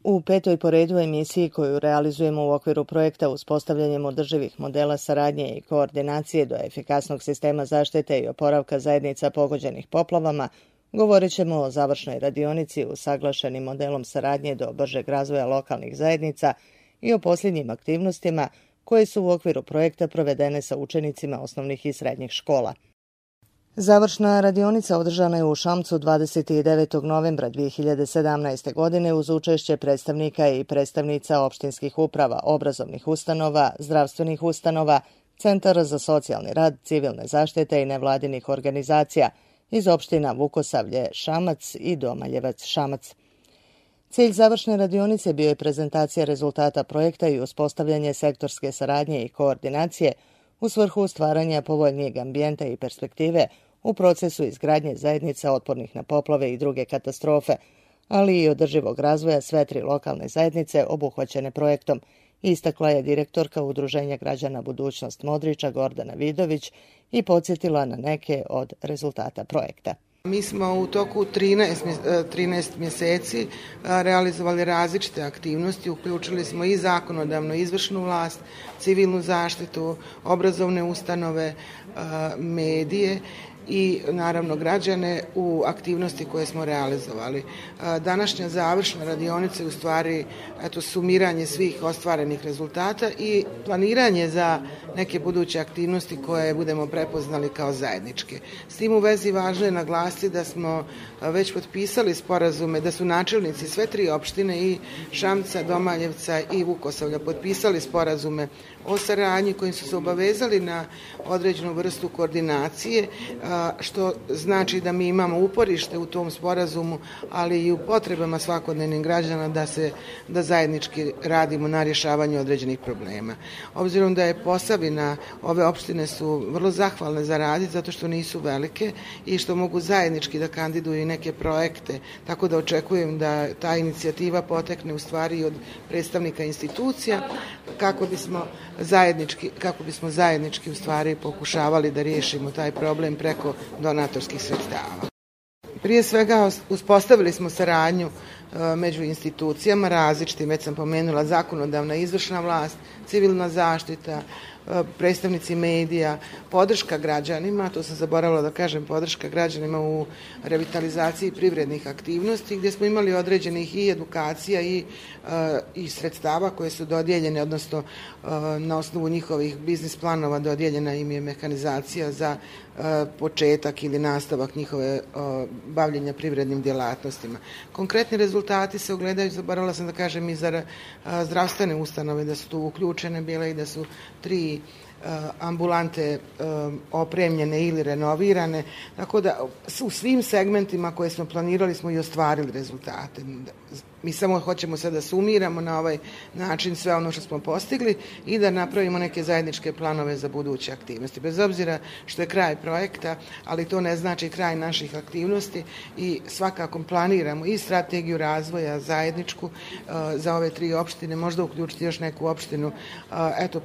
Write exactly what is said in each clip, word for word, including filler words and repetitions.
U petoj po redu emisiji koju realizujemo u okviru projekta uspostavljanjem održivih modela saradnje i koordinacije do efikasnog sistema zaštite i oporavka zajednica pogođenih poplavama, govorit ćemo o završnoj radionici usaglašenim modelom saradnje do bržeg razvoja lokalnih zajednica i o posljednjim aktivnostima koje su u okviru projekta provedene sa učenicima osnovnih i srednjih škola. Završna radionica održana je u Šamcu dvadeset devetog novembra dvije hiljade sedamnaeste. godine uz učešće predstavnika i predstavnica opštinskih uprava, obrazovnih ustanova, zdravstvenih ustanova, centara za socijalni rad, civilne zaštite i nevladinih organizacija iz opština Vukosavlje, Šamac i Domaljevac, Šamac. Cilj završne radionice bio je prezentacija rezultata projekta i uspostavljanje sektorske saradnje i koordinacije u svrhu stvaranja povoljnijeg ambijenta i perspektive u procesu izgradnje zajednica otpornih na poplave i druge katastrofe, ali i održivog razvoja sve tri lokalne zajednice obuhvaćene projektom, istakla je direktorka Udruženja građana Budućnost Modriča Gordana Vidović i podsjetila na neke od rezultata projekta. Mi smo u toku trinaest mjeseci realizovali različite aktivnosti, uključili smo i zakonodavnu izvršnu vlast, civilnu zaštitu, obrazovne ustanove, medije i naravno građane u aktivnosti koje smo realizovali. Današnja završna radionica je u stvari eto, sumiranje svih ostvarenih rezultata i planiranje za neke buduće aktivnosti koje budemo prepoznali kao zajedničke. S tim u vezi važno je naglasiti da smo već potpisali sporazume, da su načelnici sve tri opštine i Šamca, Domaljevca i Vukosavlja potpisali sporazume o saradnji kojim su se obavezali na određenu vrstu koordinacije, što znači da mi imamo uporište u tom sporazumu, ali i u potrebama svakodnevnih građana da se da zajednički radimo na rješavanju određenih problema. Obzirom da je Posavina, ove opštine su vrlo zahvalne za raditi zato što nisu velike i što mogu zajednički da kandiduju i neke projekte, tako da očekujem da ta inicijativa potekne u stvari od predstavnika institucija kako bismo zajednički, kako bismo zajednički u stvari pokušavali da riješimo taj problem preko donatorskih sredstava. Prije svega uspostavili smo saradnju među institucijama različitim, već sam pomenula zakonodavna izvršna vlast, civilna zaštita, predstavnici medija, podrška građanima, to sam zaboravila da kažem, podrška građanima u revitalizaciji privrednih aktivnosti gdje smo imali određenih i edukacija i, i sredstava koje su dodijeljene, odnosno na osnovu njihovih biznis planova dodijeljena im je mehanizacija za početak ili nastavak njihove bavljenja privrednim djelatnostima. Konkretni rezultati se ogledaju, zaboravila sam da kažem, i za zdravstvene ustanove, da su tu uključene bile i da su tri ambulante opremljene ili renovirane, tako da u svim segmentima koje smo planirali smo i ostvarili rezultate. Mi samo hoćemo sada da sumiramo na ovaj način sve ono što smo postigli i da napravimo neke zajedničke planove za buduće aktivnosti. Bez obzira što je kraj projekta, ali to ne znači kraj naših aktivnosti i svakako planiramo i strategiju razvoja zajedničku za ove tri opštine, možda uključiti još neku opštinu. Eto,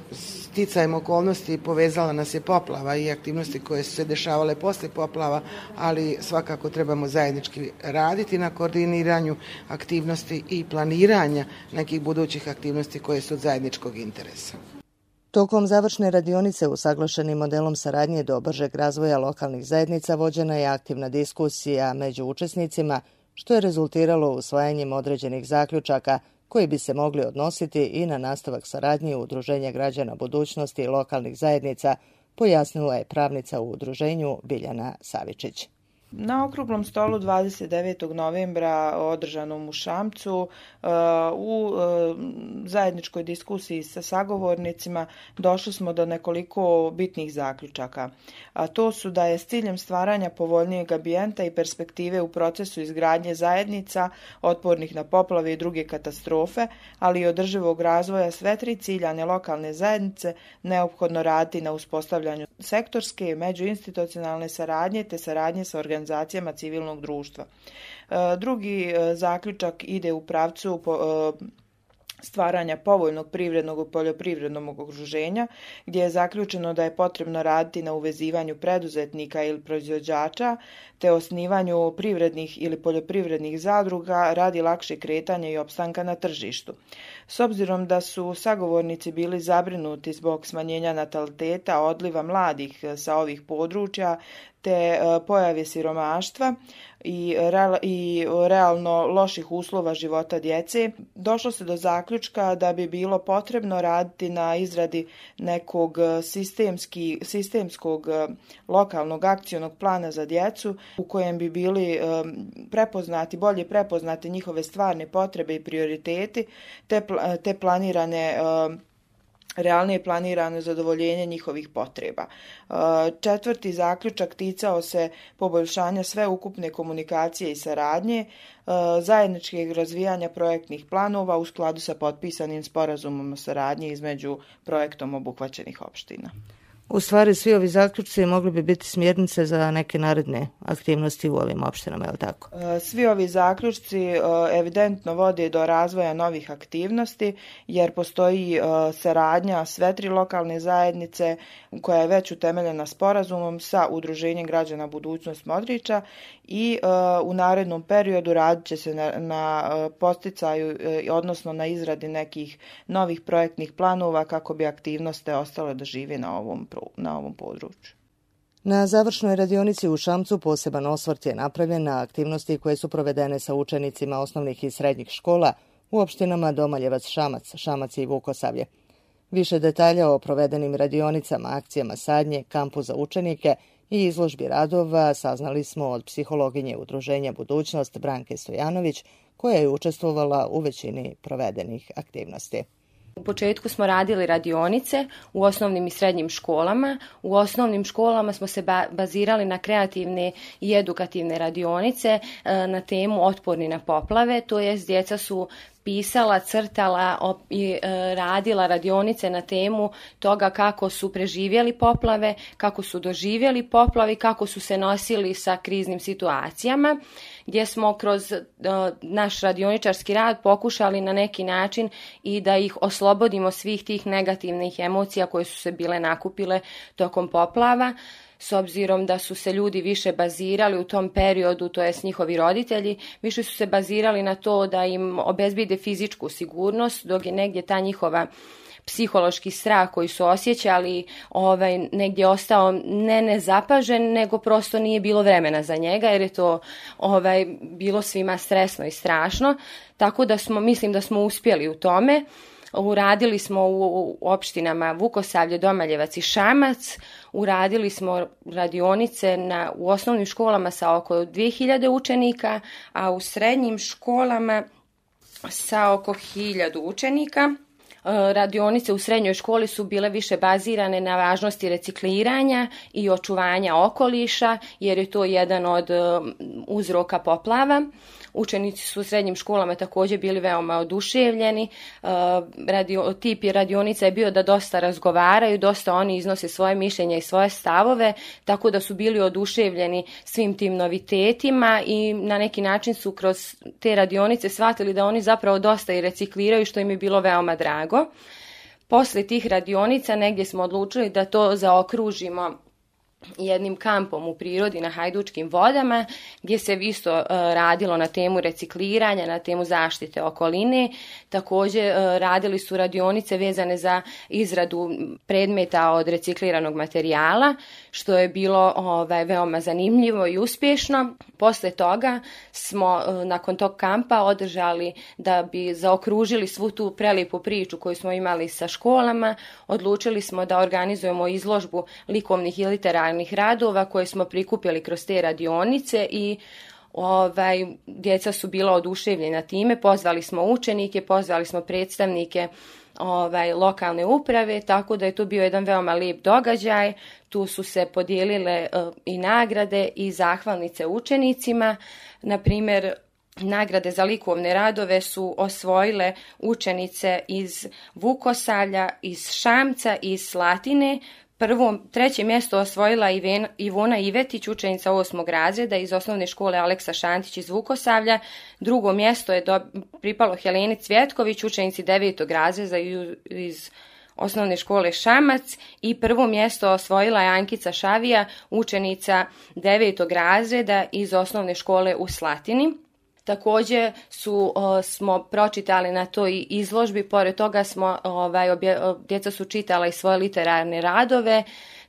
sticajem okolnosti povezala nas je poplava i aktivnosti koje su se dešavale posle poplava, ali svakako trebamo zajednički raditi na koordiniranju aktivnosti i planiranja nekih budućih aktivnosti koje su od zajedničkog interesa. Tokom završne radionice usaglašenim modelom saradnje do bržeg razvoja lokalnih zajednica vođena je aktivna diskusija među učesnicima, što je rezultiralo usvajanjem određenih zaključaka koji bi se mogli odnositi i na nastavak saradnje Udruženja građana Budućnosti i lokalnih zajednica, pojasnila je pravnica u udruženju Biljana Savičić. Na okruglom stolu dvadeset devetog novembra održanom u Šamcu u zajedničkoj diskusiji sa sagovornicima došli smo do nekoliko bitnih zaključaka. A to su da je s ciljem stvaranja povoljnijeg ambijenta i perspektive u procesu izgradnje zajednica otpornih na poplave i druge katastrofe, ali i održivog razvoja sve tri ciljane lokalne zajednice neophodno raditi na uspostavljanju sektorske i međuinstitucionalne saradnje te saradnje sa organizacijama civilnog društva. Drugi zaključak ide u pravcu stvaranja povoljnog privrednog i poljoprivrednog okruženja, gdje je zaključeno da je potrebno raditi na uvezivanju preduzetnika ili proizvođača, te osnivanju privrednih ili poljoprivrednih zadruga radi lakše kretanja i opstanka na tržištu. S obzirom da su sagovornici bili zabrinuti zbog smanjenja nataliteta, odliva mladih sa ovih područja, te pojave siromaštva i, real, i realno loših uslova života djece, došlo se do zaključka da bi bilo potrebno raditi na izradi nekog sistemski, sistemskog lokalnog akcionog plana za djecu u kojem bi bili prepoznati, bolje prepoznati njihove stvarne potrebe i prioriteti, te, te planirane realnije planirano zadovoljenje njihovih potreba. Četvrti zaključak ticao se poboljšanja sveukupne komunikacije i saradnje, zajedničkog razvijanja projektnih planova u skladu sa potpisanim sporazumom o saradnji između projektom obuhvaćenih opština. U stvari, svi ovi zaključci mogli bi biti smjernice za neke naredne aktivnosti u ovim opštinama, je li tako? Svi ovi zaključci evidentno vode do razvoja novih aktivnosti, jer postoji saradnja sve tri lokalne zajednice koja je već utemeljena sporazumom sa Udruženjem građana Budućnost Modriča i u narednom periodu radit će se na, na posticaju, odnosno na izradi nekih novih projektnih planova kako bi aktivnosti ostale da žive na ovom na ovom području. Na završnoj radionici u Šamcu poseban osvrt je napravljen na aktivnosti koje su provedene sa učenicima osnovnih i srednjih škola u opštinama Domaljevac, Šamac, Šamac i Vukosavlje. Više detalja o provedenim radionicama, akcijama sadnje, kampu za učenike i izložbi radova saznali smo od psihologinje Udruženja Budućnost Branke Stojanović, koja je učestvovala u većini provedenih aktivnosti. U početku smo radili radionice u osnovnim i srednjim školama. U osnovnim školama smo se bazirali na kreativne i edukativne radionice na temu otporni na poplave, to jest djeca su pisala, crtala i radila radionice na temu toga kako su preživjeli poplave, kako su doživjeli poplavi, kako su se nosili sa kriznim situacijama, gdje smo kroz naš radioničarski rad pokušali na neki način i da ih oslobodimo svih tih negativnih emocija koje su se bile nakupile tokom poplava. S obzirom da su se ljudi više bazirali u tom periodu, to jest njihovi roditelji, više su se bazirali na to da im obezbide fizičku sigurnost, dok je negdje ta njihova psihološki strah koji su osjećali ovaj, negdje ostao ne nezapažen, nego prosto nije bilo vremena za njega, jer je to ovaj, bilo svima stresno i strašno. Tako da smo, mislim da smo uspjeli u tome. Uradili smo u opštinama Vukosavlje, Domaljevac i Šamac, uradili smo radionice na, u osnovnim školama sa oko dvije hiljade učenika, a u srednjim školama sa oko hiljadu učenika. Radionice u srednjoj školi su bile više bazirane na važnosti recikliranja i očuvanja okoliša, jer je to jedan od uzroka poplava. Učenici su u srednjim školama također bili veoma oduševljeni. Radio, tip radionica je bio da dosta razgovaraju, dosta oni iznose svoje mišljenja i svoje stavove, tako da su bili oduševljeni svim tim novitetima i na neki način su kroz te radionice shvatili da oni zapravo dosta i recikliraju, što im je bilo veoma drago. Posle tih radionica negdje smo odlučili da to zaokružimo jednim kampom u prirodi na Hajdučkim vodama, gdje se isto uh, radilo na temu recikliranja, na temu zaštite okoline. Također uh, radili su radionice vezane za izradu predmeta od recikliranog materijala, što je bilo ovaj, veoma zanimljivo i uspješno. Posle toga smo uh, nakon tog kampa održali, da bi zaokružili svu tu prelijepu priču koju smo imali sa školama, odlučili smo da organizujemo izložbu likovnih i literarnih radova koje smo prikupili kroz te radionice i ovaj, djeca su bila oduševljena time. Pozvali smo učenike, pozvali smo predstavnike ovaj, lokalne uprave, tako da je to bio jedan veoma lijep događaj. Tu su se podijelile uh, i nagrade i zahvalnice učenicima. Na primjer, nagrade za likovne radove su osvojile učenice iz Vukosavlja, iz Šamca i iz Slatine. Prvo, treće mjesto osvojila Ivona Ivetić, učenica osmog razreda iz osnovne škole Aleksa Šantić iz Vukosavlja. Drugo mjesto je do, pripalo Heleni Cvjetković, učenici devetog razreda iz osnovne škole Šamac. I prvo mjesto osvojila je Ankica Šavija, učenica devetog razreda iz osnovne škole u Slatini. Također su, o, smo pročitali na toj izložbi, pored toga smo, ovaj, obje, djeca su čitala i svoje literarne radove,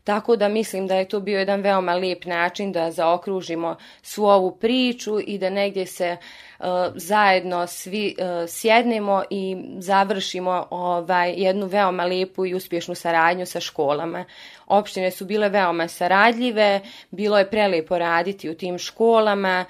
tako da mislim da je to bio jedan veoma lijep način da zaokružimo svu ovu priču i da negdje se uh, zajedno svi uh, sjednemo i završimo ovaj, jednu veoma lijepu i uspješnu saradnju sa školama. Opštine su bile veoma saradljive, bilo je prelijepo raditi u tim školama,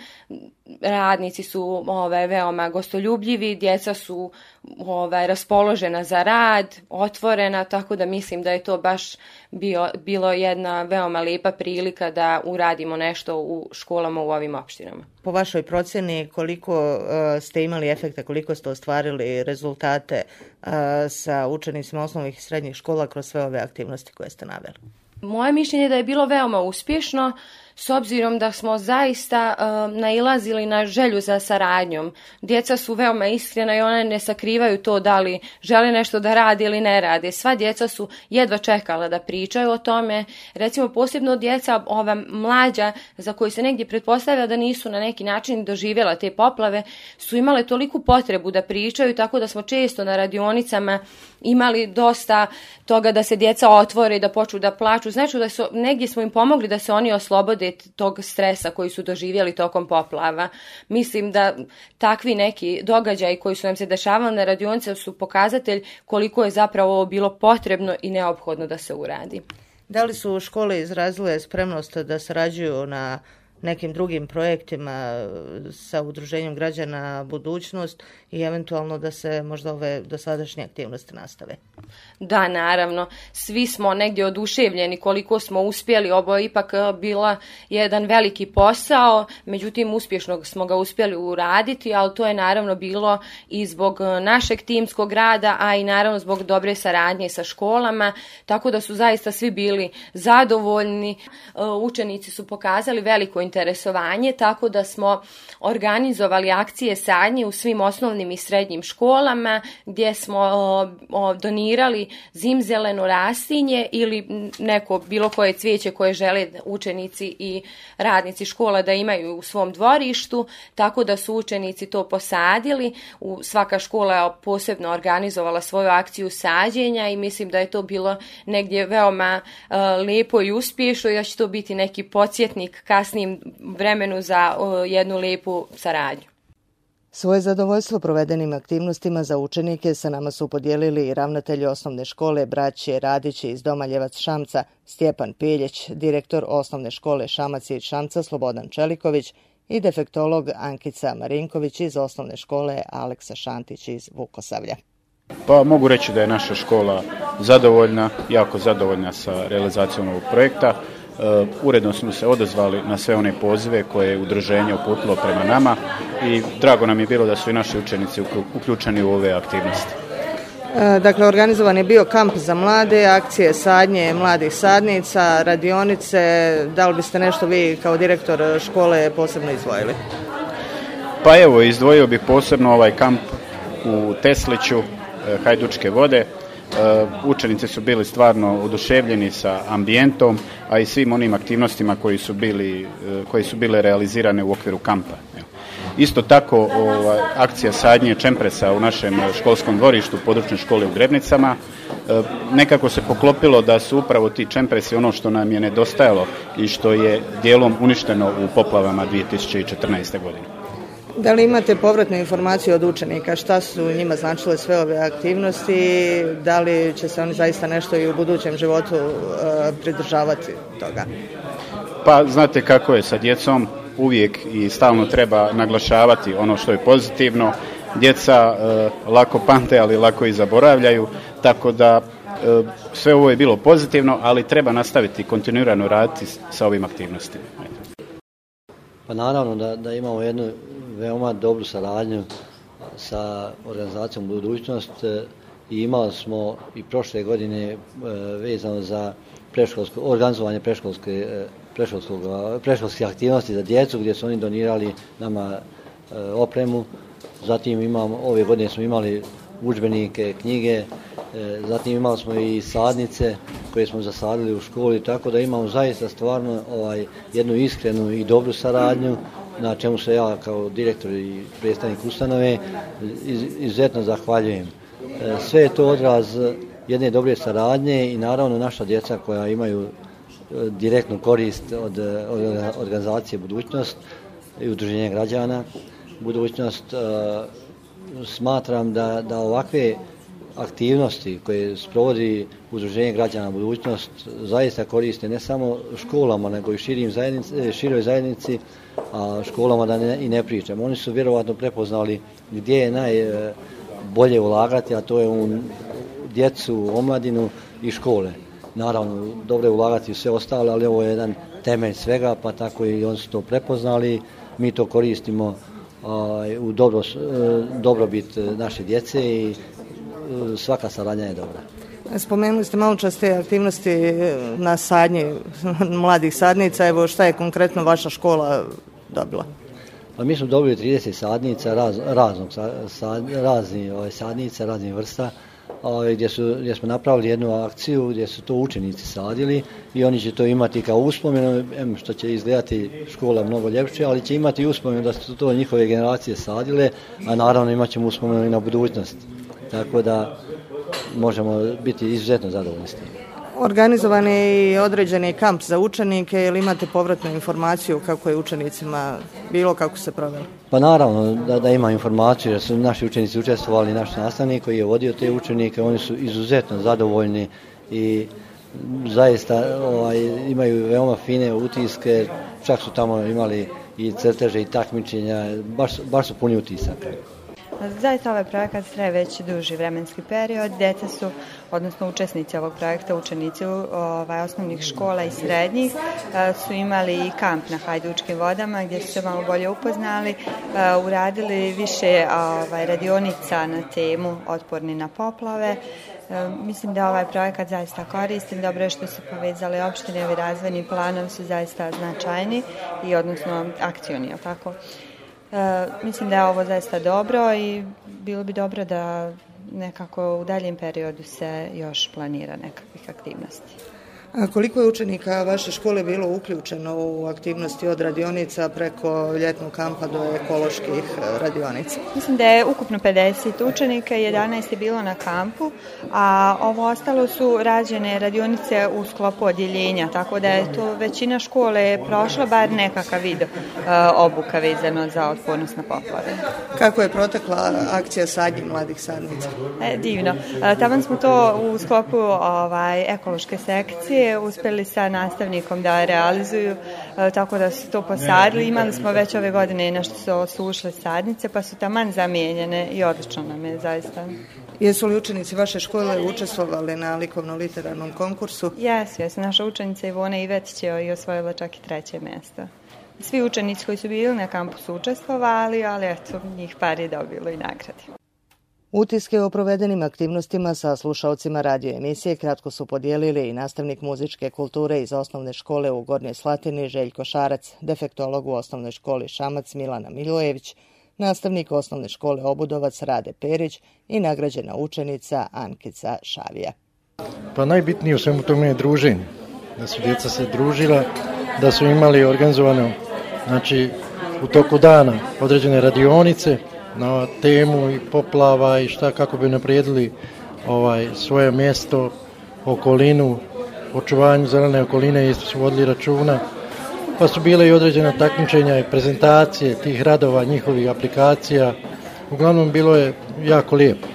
radnici su ovaj, veoma gostoljubljivi, djeca su ovaj, raspoložena za rad, otvorena, tako da mislim da je to baš bio, bilo jedna veoma lijepa prilika da uradimo nešto u školama u ovim opštinama. Po vašoj procjeni koliko uh, ste imali efekta, koliko ste ostvarili rezultate uh, sa učenicima osnovnih i srednjih škola kroz sve ove aktivnosti koje ste naveli? Moje mišljenje je da je bilo veoma uspješno, s obzirom da smo zaista uh, nailazili na želju za saradnjom. Djeca su veoma iskrena i one ne sakrivaju to da li žele nešto da radi ili ne rade. Sva djeca su jedva čekala da pričaju o tome. Recimo posebno djeca, ova mlađa za koju se negdje pretpostavlja da nisu na neki način doživjela te poplave, su imale toliku potrebu da pričaju, tako da smo često na radionicama imali dosta toga da se djeca otvore i da počnu da plaču. Znači da su, negdje smo im pomogli da se oni oslobode tog stresa koji su doživjeli tokom poplava. Mislim da takvi neki događaji koji su nam se dešavali na radionice su pokazatelj koliko je zapravo ovo bilo potrebno i neophodno da se uradi. Da li su škole izrazile spremnost da sarađuju na nekim drugim projektima sa Udruženjem građana Budućnost i eventualno da se možda ove dosadašnje aktivnosti nastave? Da, naravno. Svi smo negdje oduševljeni koliko smo uspjeli. Ovo je ipak bila jedan veliki posao, međutim uspješno smo ga uspjeli uraditi, ali to je naravno bilo i zbog našeg timskog rada, a i naravno zbog dobre saradnje sa školama, tako da su zaista svi bili zadovoljni. Učenici su pokazali veliko interesovanje, tako da smo organizovali akcije sadnje u svim osnovnim i srednjim školama, gdje smo o, o, donirali zimzeleno rastinje ili neko bilo koje cvijeće koje žele učenici i radnici škola da imaju u svom dvorištu, tako da su učenici to posadili. U, svaka škola je posebno organizovala svoju akciju sađenja i mislim da je to bilo negdje veoma uh, lijepo i uspješno i da će to biti neki podsjetnik kasnijim vremenu za uh, jednu lijepu saradnju. Svoje zadovoljstvo provedenim aktivnostima za učenike sa nama su podijelili i ravnatelji osnovne škole braće Radići iz Domaljevac Šamca Stjepan Piljeć, direktor osnovne škole Šamac iz Šamca Slobodan Čeliković i defektolog Ankica Marinković iz osnovne škole Aleksa Šantić iz Vukosavlja. Pa mogu reći da je naša škola zadovoljna, jako zadovoljna sa realizacijom ovog projekta. Uh, uredno smo se odazvali na sve one pozive koje je udruženje uputilo prema nama i drago nam je bilo da su i naši učenici uključeni u ove aktivnosti. E, dakle, organizovan je bio kamp za mlade, akcije sadnje mladih sadnica, radionice. Da li biste nešto vi kao direktor škole posebno izdvojili? Pa evo, izdvojio bih posebno ovaj kamp u Tesliću, Hajdučke vode. Učenici su bili stvarno oduševljeni sa ambijentom, a i svim onim aktivnostima koji su bili, koji su bile realizirane u okviru kampa. Isto tako ova, akcija sadnje čempresa u našem školskom dvorištu područne škole u Grebnicama. Nekako se poklopilo da su upravo ti čempresi ono što nam je nedostajalo i što je dijelom uništeno u poplavama dvije tisuće četrnaeste. godine. Da li imate povratnu informaciju od učenika? Šta su njima značile sve ove aktivnosti? Da li će se oni zaista nešto i u budućem životu uh, pridržavati toga? Pa znate kako je sa djecom, uvijek i stalno treba naglašavati ono što je pozitivno. Djeca uh, lako pamte, ali lako i zaboravljaju, tako da uh, sve ovo je bilo pozitivno, ali treba nastaviti kontinuirano raditi sa ovim aktivnostima. Pa naravno da, da imamo jednu veoma dobru saradnju sa organizacijom Budućnost i imali smo i prošle godine vezano za predškolsko, organizovanje predškolske, predškolske aktivnosti za djecu gdje su oni donirali nama opremu. Zatim imamo, ove godine smo imali udžbenike, knjige, zatim imali smo i sadnice koje smo zasadili u školi, tako da imamo zaista stvarno ovaj, jednu iskrenu i dobru saradnju, na čemu se ja kao direktor i predstavnik ustanove iz, izuzetno zahvaljujem. Sve je to odraz jedne dobre saradnje i naravno naša djeca koja imaju direktnu korist od, od organizacije Budućnost i Udruženja građana Budućnost. Smatram da, da ovakve aktivnosti koje sprovodi Udruženje građana Budućnost zaista koriste ne samo školama nego i širim zajednici, široj zajednici, a školama da ne, i ne pričam. Oni su vjerovatno prepoznali gdje je najbolje ulagati, a to je u djecu, omladinu i škole. Naravno, dobro je ulagati u sve ostale, ali ovo je jedan temelj svega, pa tako i oni su to prepoznali. Mi to koristimo u dobro, dobrobit naše djece i svaka saradnja je dobra. Spomenuli ste malo čas te aktivnosti na sadnji mladih sadnica. Evo šta je konkretno vaša škola dobila? Pa mi smo dobili trideset sadnica, raz, raznog, sad, razni ovaj, sadnica, raznih vrsta, ovaj, gdje, su, gdje smo napravili jednu akciju gdje su to učenici sadili i oni će to imati kao uspomenu, em, što će izgledati škola mnogo ljepše, ali će imati uspomenu da su to njihove generacije sadile, a naravno imat ćemo uspomenu i na budućnost. Tako da možemo biti izuzetno zadovoljni s tim. Organizovan je i određeni kamp za učenike, ili imate povratnu informaciju kako je učenicima bilo, kako se proveli? Pa naravno da, da ima informaciju, jer su naši učenici učestvovali, naš nastavnik koji je vodio te učenike, oni su izuzetno zadovoljni i zaista ovaj, imaju veoma fine utiske, čak su tamo imali i crteže i takmičenja, baš, baš su puni utisaka. Zaista ovaj projekat traje već duži vremenski period. Djeca su, odnosno učesnici ovog projekta, učenici ovaj, osnovnih škola i srednjih, su imali i kamp na Hajdučkim vodama gdje su se malo bolje upoznali, uradili više ovaj, radionica na temu otporni na poplave. Mislim da ovaj projekat zaista koristim, dobro je što su povezali opštine, ovi razvojni planovi su zaista značajni i odnosno akcioni, je tako? E, mislim da je ovo zaista dobro i bilo bi dobro da nekako u daljem periodu se još planira nekakvih aktivnosti. A koliko je učenika vaše škole bilo uključeno u aktivnosti od radionica preko ljetnog kampa do ekoloških radionica? Mislim da je ukupno pedeset učenika, jedanaest je bilo na kampu, a ovo ostalo su rađene radionice u sklopu odjeljenja, tako da je to većina škole prošla bar nekakav vid uh, obuka vezano za otpornost na poplave. Kako je protekla akcija sadnje mladih sadnica? E, divno. Uh, taman smo to u sklopu ovaj, ekološke sekcije uspjeli sa nastavnikom da realizuju, tako da su to posadili. Imali smo već ove godine nešto su osušle sadnice, pa su taman zamijenjene i odlično nam je zaista. Jesu li učenici vaše škole učestvovali na likovno-literarnom konkursu? Jesu, jesu. Naša učenica Ivona Ivetić je i osvojila čak i treće mjesto. Svi učenici koji su bili na kampusu učestvovali, ali eto, njih par je dobilo i nagradi. Utiske o provedenim aktivnostima sa slušalcima radio emisije kratko su podijelili i nastavnik muzičke kulture iz osnovne škole u Gornjoj Slatini Željko Šarac, defektolog u osnovnoj školi Šamac Milana Milojević, nastavnik osnovne škole Obudovac Rade Perić i nagrađena učenica Ankica Šavija. Pa najbitnije u svemu tome je druženje, da su djeca se družila, da su imali organizovano, znači u toku dana određene radionice na temu i poplava i šta kako bi naprijedili ovaj, svoje mjesto, okolinu, očuvanju zelene okoline isto su vodili računa. Pa su bile i određena takmičenja i prezentacije tih radova, njihovih aplikacija. Uglavnom bilo je jako lijepo,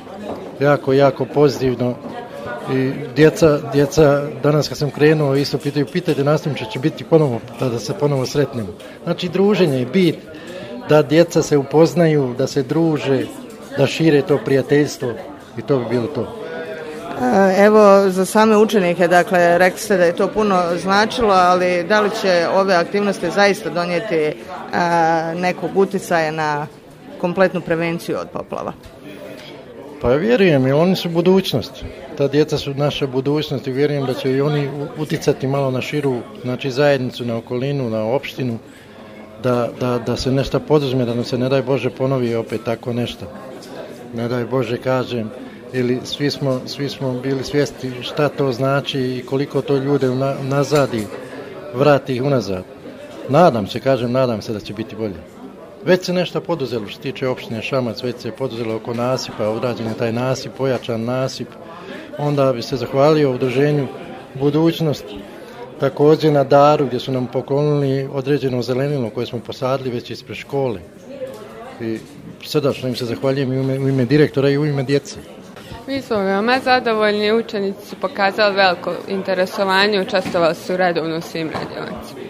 jako, jako pozitivno. I djeca, djeca danas kad sam krenuo isto pitaju, pitajte nastavniče će biti ponovo, da, da se ponovo sretnemo. Znači druženje je bit, da djeca se upoznaju, da se druže, da šire to prijateljstvo i to bi bilo to. Evo, za same učenike, dakle, rekli ste da je to puno značilo, ali da li će ove aktivnosti zaista donijeti a, nekog uticaja na kompletnu prevenciju od poplava? Pa Pa vjerujem, i oni su budućnost. Ta djeca su naša budućnost i vjerujem da će i oni uticati malo na širu, znači zajednicu, na okolinu, na opštinu, da, da, da se nešto poduzme, da nam se ne daj Bože ponovi opet tako nešto. Ne daj Bože kažem, ili svi smo, svi smo bili svjesni šta to znači i koliko to ljude nazadi, vrati ih unazad. Nadam se, kažem, nadam se da će biti bolje. Već se nešto poduzelo što se tiče opštine Šamac, već se poduzelo oko nasipa, odrađen je taj nasip, pojačan nasip. Onda bi se zahvalio udruženju Budućnost, također na daru gdje su nam poklonili određeno zelenilo koje smo posadili već ispred škole. I srdačno im se zahvaljujem i u ime, u ime direktora i u ime djece. Mi smo veoma zadovoljni, učenici su pokazali veliko interesovanje, učestvovali su redovno u svim radionicama.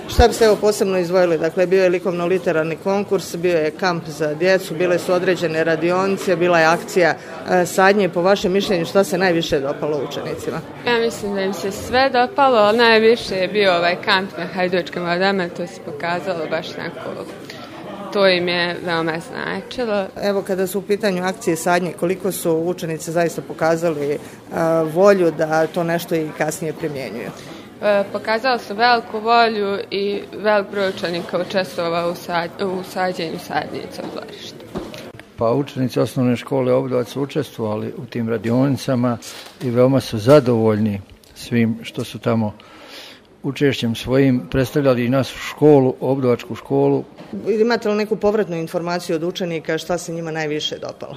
Šta biste evo posebno izdvojili? Dakle, bio je likovno-literarni konkurs, bio je kamp za djecu, bile su određene radionice, bila je akcija e, sadnje. Po vašem mišljenju, šta se najviše dopalo učenicima? Ja mislim da im se sve dopalo, ali najviše je bio ovaj kamp na Hajdučkim vodama, to se pokazalo baš neko, to im je veoma značilo. Evo, kada su u pitanju akcije sadnje, koliko su učenici zaista pokazali e, volju da to nešto i kasnije primjenjuju? Pokazali su veliku volju i velik broj učenika učestvovao u, sad, u sađenju sadnica u dvorištu. Pa učenici osnovne škole Obdovac su učestvovali u tim radionicama i veoma su zadovoljni svim što su tamo učešćem svojim predstavljali i našu školu, Obdovačku školu. Imate li neku povratnu informaciju od učenika šta se njima najviše dopalo?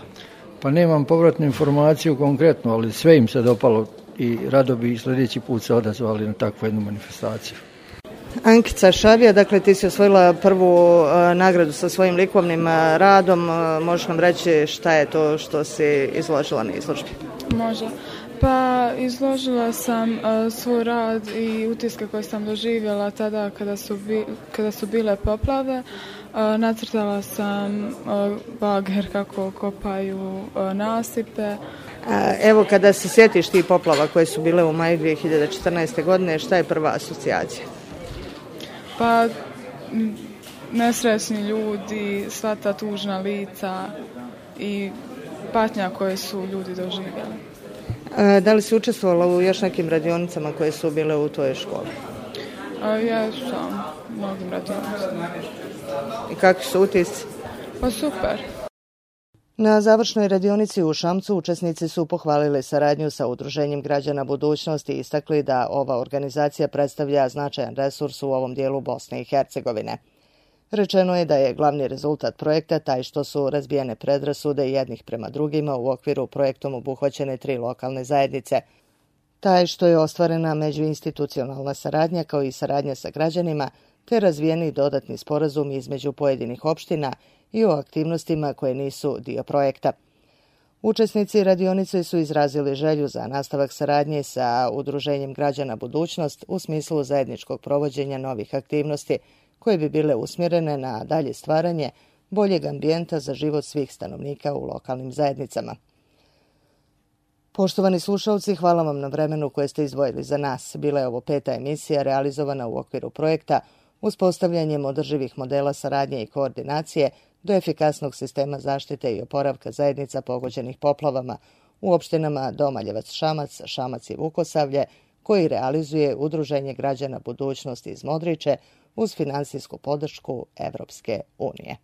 Pa nemam povratnu informaciju konkretno, ali sve im se dopalo. I rado bi sljedeći put se odazvali na takvu jednu manifestaciju. Ankica Šabija, dakle ti si osvojila prvu uh, nagradu sa svojim likovnim uh, radom. Uh, možeš nam reći šta je to što si izložila na izložbi? Može. Pa izložila sam uh, svoj rad i utiske koje sam doživjela tada kada su, bi, kada su bile poplave. Uh, nacrtala sam uh, bager kako kopaju uh, nasipe. Evo, kada se sjetiš ti poplava koje su bile u maju dvije hiljade četrnaeste. godine, šta je prva asocijacija? Pa, nesrećni ljudi, sva ta tužna lica i patnja koje su ljudi doživjeli. Da li si učestvovala u još nekim radionicama koje su bile u tvojoj školi? Ja sam u mnogim radionicama. I kakvi su utisci? Pa super. Na završnoj radionici u Šamcu učesnici su pohvalili saradnju sa Udruženjem građana Budućnosti i istakli da ova organizacija predstavlja značajan resurs u ovom dijelu Bosne i Hercegovine. Rečeno je da je glavni rezultat projekta taj što su razbijene predrasude jednih prema drugima u okviru projektom obuhvaćene tri lokalne zajednice. Taj što je ostvarena međuinstitucionalna saradnja kao i saradnja sa građanima, te razvijeni dodatni sporazum između pojedinih opština i o aktivnostima koje nisu dio projekta. Učesnici radionice su izrazili želju za nastavak saradnje sa Udruženjem građana Budućnost u smislu zajedničkog provođenja novih aktivnosti koje bi bile usmjerene na dalje stvaranje boljeg ambijenta za život svih stanovnika u lokalnim zajednicama. Poštovani slušalci, hvala vam na vremenu koje ste izdvojili za nas. Bila je ovo peta emisija realizovana u okviru projekta Uspostavljanjem održivih modela saradnje i koordinacije do efikasnog sistema zaštite i oporavka zajednica pogođenih poplavama u opštinama Domaljevac, Šamac, Šamac i Vukosavlje, koji realizuje Udruženje građana Budućnosti iz Modriče uz finansijsku podršku Evropske unije.